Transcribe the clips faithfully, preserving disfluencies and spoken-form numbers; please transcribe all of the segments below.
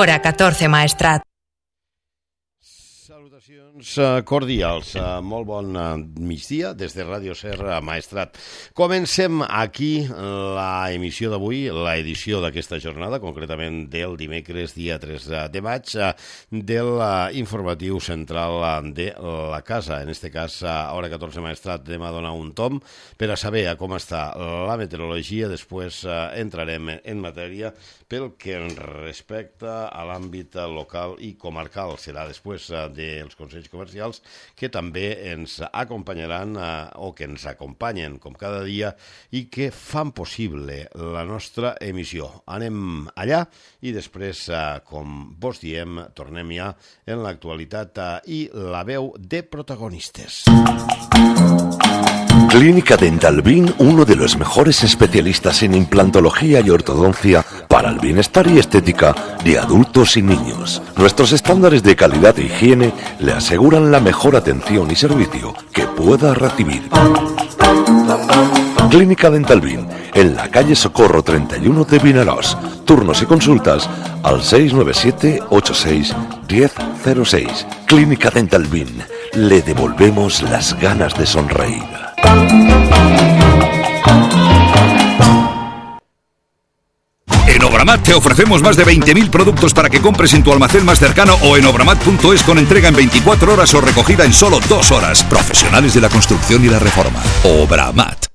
Hora catorze Maestrat. Salutacions cordials, molt bon migdia des de Ràdio Ser Maestrat. Comencem aquí la emissió d'avui, l'edició d'aquesta jornada, concretament del dimecres, dia tres de maig, de l'informatiu central de la casa. En este cas, a Hora catorze Maestrat, anem a donar un tom per a saber com està la meteorologia. Després entrarem en matèria pel que respecta a l'àmbit local i comarcal. Serà després dels consells comercials que també ens acompanyaran o que ens acompanyen com cada dia i que fan possible la nostra emissió. Anem allà i després, com vos diem, tornem ja en l'actualitat i la veu de protagonistes. Clínica Dental Bin, uno de los mejores especialistas en implantología y ortodoncia para el bienestar y estética de adultos y niños. Nuestros estándares de calidad e higiene le aseguran la mejor atención y servicio que pueda recibir. Clínica Dental Bin, en la calle Socorro treinta y uno de Vinaròs. Turnos y consultas al seis nueve siete ocho seis uno cero cero seis. Clínica Dental Bin, le devolvemos las ganas de sonreír. En Obramat te ofrecemos más de veinte mil productos para que compres en tu almacén más cercano o en obramat punto es con entrega en veinticuatro horas o recogida en solo dos horas. Profesionales de la construcción y la reforma. Obramat.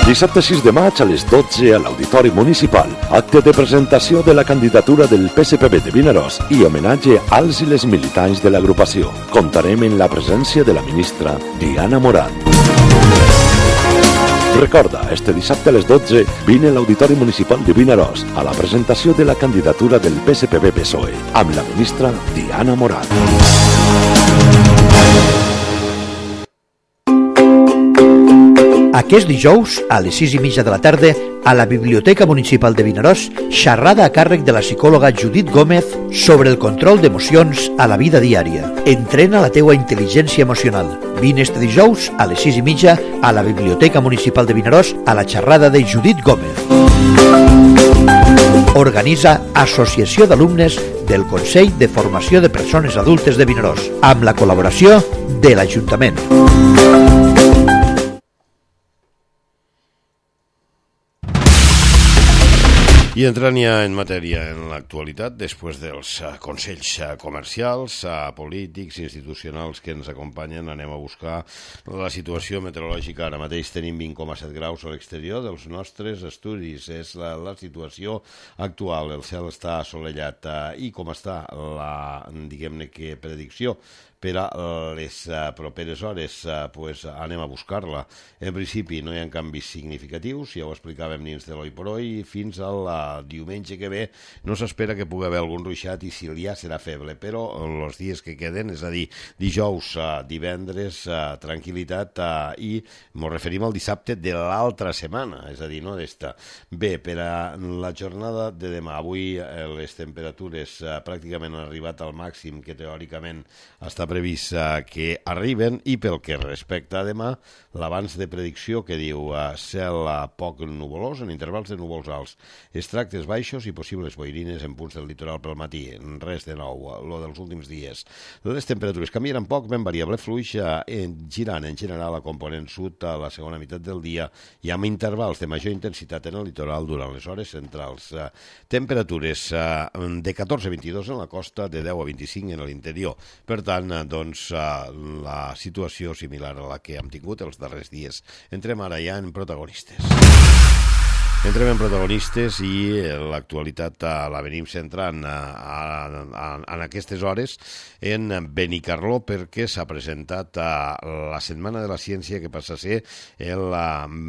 Dissabte sis de maig a les dotze a l'Auditori Municipal, acte de presentació de la candidatura del P S P B de Vinaròs i homenatge als i les militants de l'agrupació. Comptarem en la presència de la ministra Diana Morant. Recorda, este dissabte a les dotze vine a l'Auditori Municipal de Vinaròs a la presentació de la candidatura del P S P B P S O E amb la ministra Diana Morant. Aquest dijous, a les sis i mitja de la tarda, a la Biblioteca Municipal de Vinaròs, xerrada a càrrec de la psicòloga Judit Gómez sobre el control d'emocions a la vida diària. Entrena la teua intel·ligència emocional. Vine este dijous, a les sis i mitja, a la Biblioteca Municipal de Vinaròs, a la xerrada de Judit Gómez. Organitza Associació d'Alumnes del Consell de Formació de Persones Adultes de Vinaròs, amb la col·laboració de l'Ajuntament. I entrant ja en matèria en l'actualitat, després dels consells comercials, polítics, institucionals que ens acompanyen, anem a buscar la situació meteorològica. Ara mateix tenim vint coma set graus a l'exterior dels nostres estudis. És la, la situació actual. El cel està assolellat. I com està la, diguem-ne que, predicció per a les properes hores, pues anem a buscar-la. En principi no hi ha canvis significatius, ja ho explicàvem dins de l'Oi por Hoy, fins al diumenge que ve no s'espera que pugui haver algun ruixat i si hi ha serà feble, però els dies que queden, és a dir, dijous, divendres, tranquil·litat i ens referim al dissabte de l'altra setmana, és a dir, no d'esta. Bé, per a la jornada de demà, avui les temperatures pràcticament han arribat al màxim que teòricament està previst que arriben i pel que respecta a demà, l'avanç de predicció que diu cel poc nuvolós en intervals de núvols alts, extractes baixos i possibles boirines en punts del litoral pel matí. Res de nou, lo dels últims dies. Les temperatures canviaran poc, ben variable fluix, girant en general a component sud a la segona meitat del dia i amb intervals de major intensitat en el litoral durant les hores centrals. Temperatures de catorze a vint-i-dos en la costa, de deu a vint-i-cinc en l'interior. Per tant, doncs la situació similar a la que hem tingut els darrers dies. Entrem ara ja en protagonistes. Entrem en protagonistes i l'actualitat la venim centrant en aquestes hores en Benicarló perquè s'ha presentat la Setmana de la Ciència que passa a ser el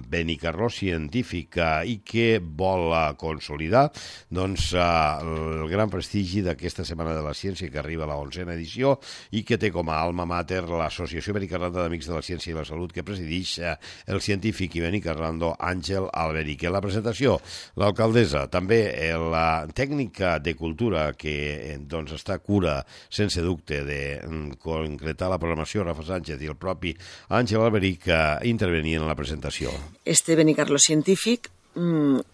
Benicarló científic i que vol consolidar doncs, el gran prestigi d'aquesta Setmana de la Ciència que arriba a la onzena edició i que té com a alma mater l'Associació Benicarlanda d'Amics de la Ciència i la Salut que presideix el científic i benicarlando Àngel Alberic. La presentació presentació, l'alcaldessa, també la tècnica de cultura que doncs, està a cura sense dubte de concretar la programació, Rafa Sánchez i el propi Àngel Alberic que intervenien en la presentació. Este Benicarló científic,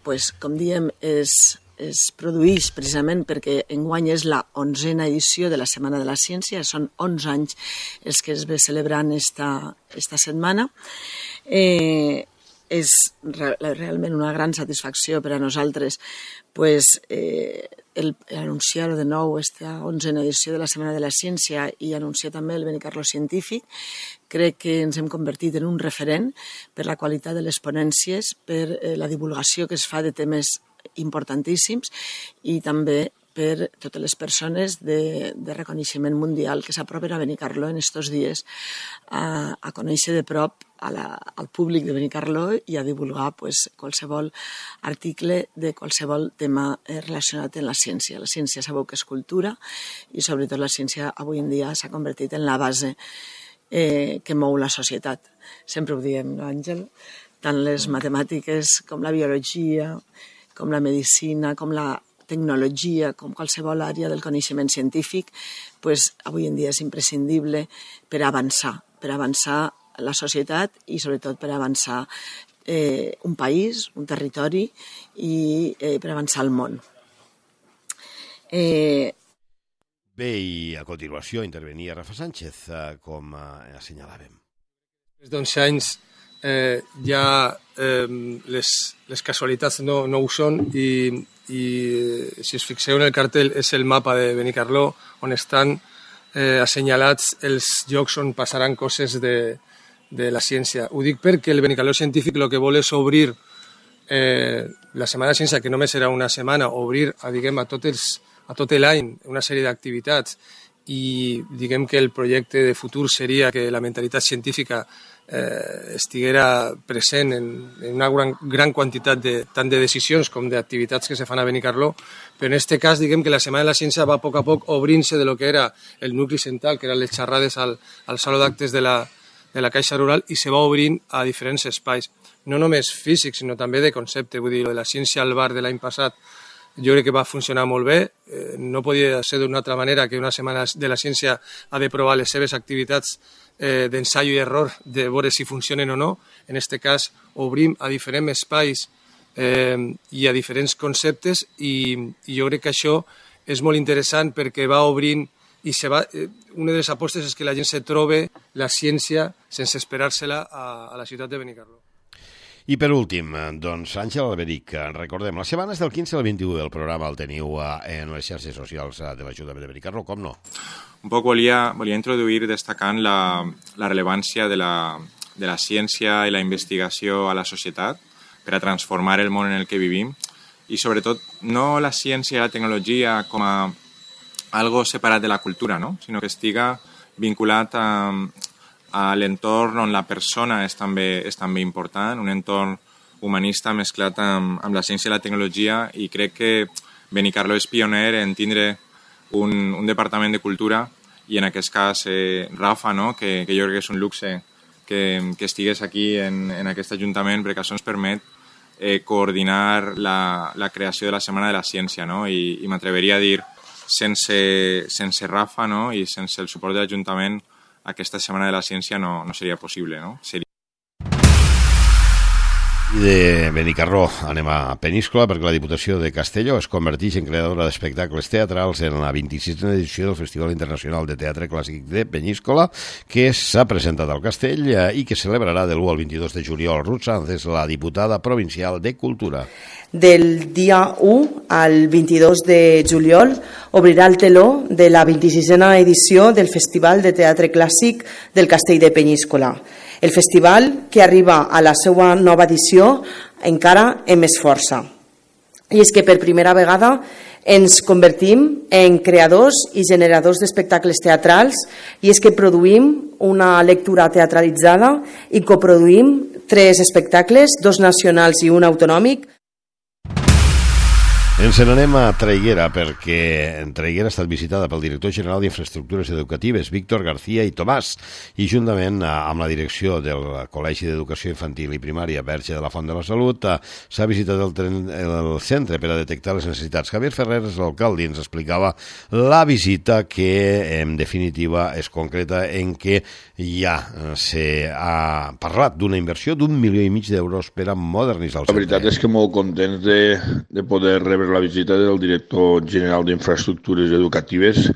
pues, com diem, és... es produeix precisament perquè enguany és la onzena edició de la Setmana de la Ciència, són onze anys els que es ve celebrant esta, esta setmana. Eh, és re, realment una gran satisfacció per a nosaltres pues, eh, el, el anunciar de nou esta onzena edició de la Setmana de la Ciència i anunciar també el Benicarló científic. Crec que ens hem convertit en un referent per la qualitat de les ponències, per eh, la divulgació que es fa de temes importantíssims i també per totes les persones de, de reconeixement mundial que s'apropen a Benicarló en estos dies a, a conèixer de prop a la, al públic de Benicarló i a divulgar pues, qualsevol article de qualsevol tema eh, relacionat amb la ciència. La ciència sabeu que és cultura i sobretot la ciència avui en dia s'ha convertit en la base eh, que mou la societat. Sempre ho diem, no, Àngel? Tant les matemàtiques com la biologia, com la medicina, com la tecnologia, com qualsevol àrea del coneixement científic, pues, avui en dia és imprescindible per avançar, per avançar la societat i sobretot per avançar eh, un país, un territori i eh, per avançar el món. Eh... Bé, i a continuació intervenia Rafa Sánchez, eh, com eh, assenyalàvem. Des d'onze anys eh, ja eh, les, les casualitats no, no ho són i, i eh, si us fixeu en el cartell és el mapa de Benicarló on estan eh, assenyalats els llocs on passaran coses de, de la ciència. Ho dic perquè el Benicarló científic el que vol és obrir eh, la Setmana de Ciència, que només serà una setmana, obrir a, diguem, a, tot els, a tot l'any una sèrie d'activitats i diguem que el projecte de futur seria que la mentalitat científica eh, estiguera present en, en una gran, gran quantitat de, tant de decisions com d'activitats que se fan a Benicarló, però en aquest cas diguem que la Setmana de la Ciència va a poc a poc obrint-se de lo que era el nucli central, que eren les xerrades al, al saló d'actes de, la, de la Caixa Rural, i se va obrint a diferents espais, no només físics, sinó també de concepte. Vull dir, lo de la ciència al bar de l'any passat jo crec que va funcionar molt bé, eh, no podia ser d'una altra manera que una setmana de la ciència ha de provar les seves activitats eh, d'ensaio i error, de veure si funcionen o no. En aquest cas obrim a diferents espais eh, i a diferents conceptes i, i jo crec que això és molt interessant perquè va obrint i se va, eh, una de les apostes és que la gent se trobe la ciència sense esperar-se-la a, a la ciutat de Benicarló. I per últim, doncs, Àngel Alberic, recordem, les setmanes del quinze al vint-i-u del programa el teniu en les xarxes socials de l'Ajuntament de Benicarló, com no? Un poc volia, volia introduir destacant la, la rellevància de la, de la ciència i la investigació a la societat per a transformar el món en el que vivim i sobretot no la ciència i la tecnologia com a algo separat de la cultura, no? Sinó que estiga vinculat a a l'entorn on la persona és també, és també important, un entorn humanista mesclat amb, amb la ciència i la tecnologia, i crec que Benicarló és pioner en tindre un, un departament de cultura i en aquest cas eh, Rafa, no? que, que jo crec que és un luxe que, que estigués aquí en, en aquest Ajuntament perquè això ens permet eh, coordinar la, la creació de la Setmana de la Ciència, no? I, i m'atreveria a dir sense, sense Rafa, no? I sense el suport de l'Ajuntament aquesta Setmana de la Ciència no, no seria possible, no? Seria... I de Benicarló anem a Peníscola perquè la Diputació de Castelló es converteix en creadora d'espectacles teatrals en la vint-i-sisena edició del Festival Internacional de Teatre Clàssic de Peníscola, que s'ha presentat al Castell i que celebrarà del u al vint-i-dos de juliol. Ruth Sanz és la diputada provincial de Cultura. Del dia u al vint-i-dos de juliol obrirà el teló de la vint-i-sisena edició del Festival de Teatre Clàssic del Castell de Peníscola. El festival que arriba a la seva nova edició encara amb més força. I és que per primera vegada ens convertim en creadors i generadors d'espectacles teatrals, i és que produïm una lectura teatralitzada i coproduïm tres espectacles, dos nacionals i un autonòmic. Ens n'anem a Traiguera perquè Traiguera ha estat visitada pel director general d'Infraestructures Educatives, Víctor García i Tomàs, i juntament amb la direcció del Col·legi d'Educació Infantil i Primària Verge de la Font de la Salut s'ha visitat el, tren, el centre per a detectar les necessitats. Javier Ferreres, l'alcalde, ens explicava la visita que en definitiva és concreta en què ja s'ha parlat d'una inversió d'un milió i mig d'euros per a modernitzar el centre. La veritat és que molt contents de, de poder rebre la visita del director general d'Infraestructures Educatives,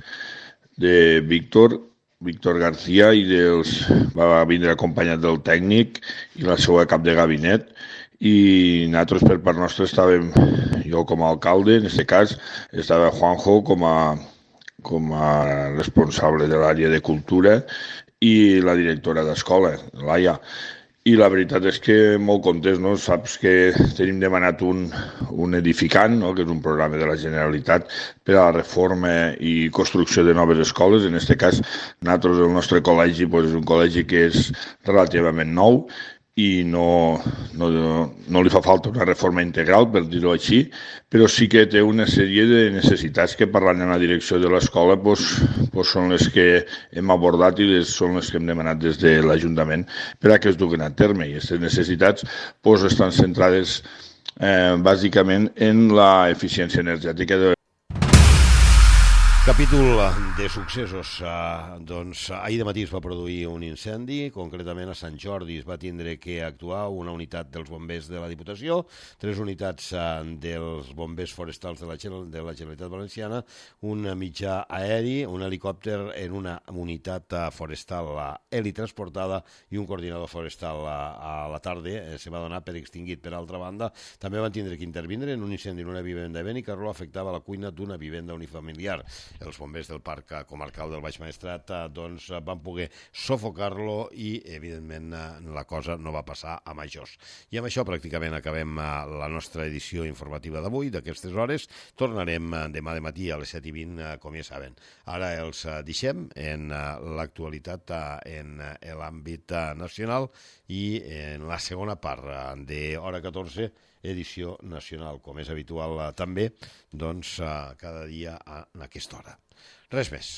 de Víctor, Víctor García, i dels, va vindre acompanyat del tècnic i la seva cap de gabinet, i nosaltres per part nostra estàvem, jo com a alcalde, en aquest cas, estava Juanjo com a, com a responsable de l'àrea de cultura i la directora d'escola, Laia. I la veritat és que molt contents, no? Saps que tenim demanat un, un edificant, no? Que és un programa de la Generalitat per a la reforma i construcció de noves escoles. En aquest cas, nosaltres, el nostre col·legi, doncs, és un col·legi que és relativament nou i no, no, no li fa falta una reforma integral, per dir-ho així, però sí que té una sèrie de necessitats que, parlant en la direcció de l'escola, doncs, doncs són les que hem abordat i les, són les que hem demanat des de l'Ajuntament per a que es duguen a terme. I aquestes necessitats doncs, estan centrades eh, bàsicament en l'eficiència energètica de Capítol de successos. Uh, doncs ahir de matí es va produir un incendi, concretament a Sant Jordi es va tindre que actuar una unitat dels bombers de la Diputació, tres unitats uh, dels bombers forestals de la, de la Generalitat Valenciana, un mitjà aeri, un helicòpter en una unitat uh, forestal uh, helitransportada i un coordinador forestal uh, a la tarda eh, se va donar per extingit. Per altra banda, també van tindre que intervindre en un incendi en una vivenda de Benicarló, afectava la cuina d'una vivenda unifamiliar. Els bombers del Parc Comarcal del Baix Maestrat doncs, van poder sofocar-lo i, evidentment, la cosa no va passar a majors. I amb això pràcticament acabem la nostra edició informativa d'avui, d'aquestes hores. Tornarem demà de matí a les set i vint, com ja saben. Ara els deixem en l'actualitat en l'àmbit nacional i en la segona part de Hora catorze, edició nacional, com és habitual també, doncs, cada dia a aquesta hora. Res més.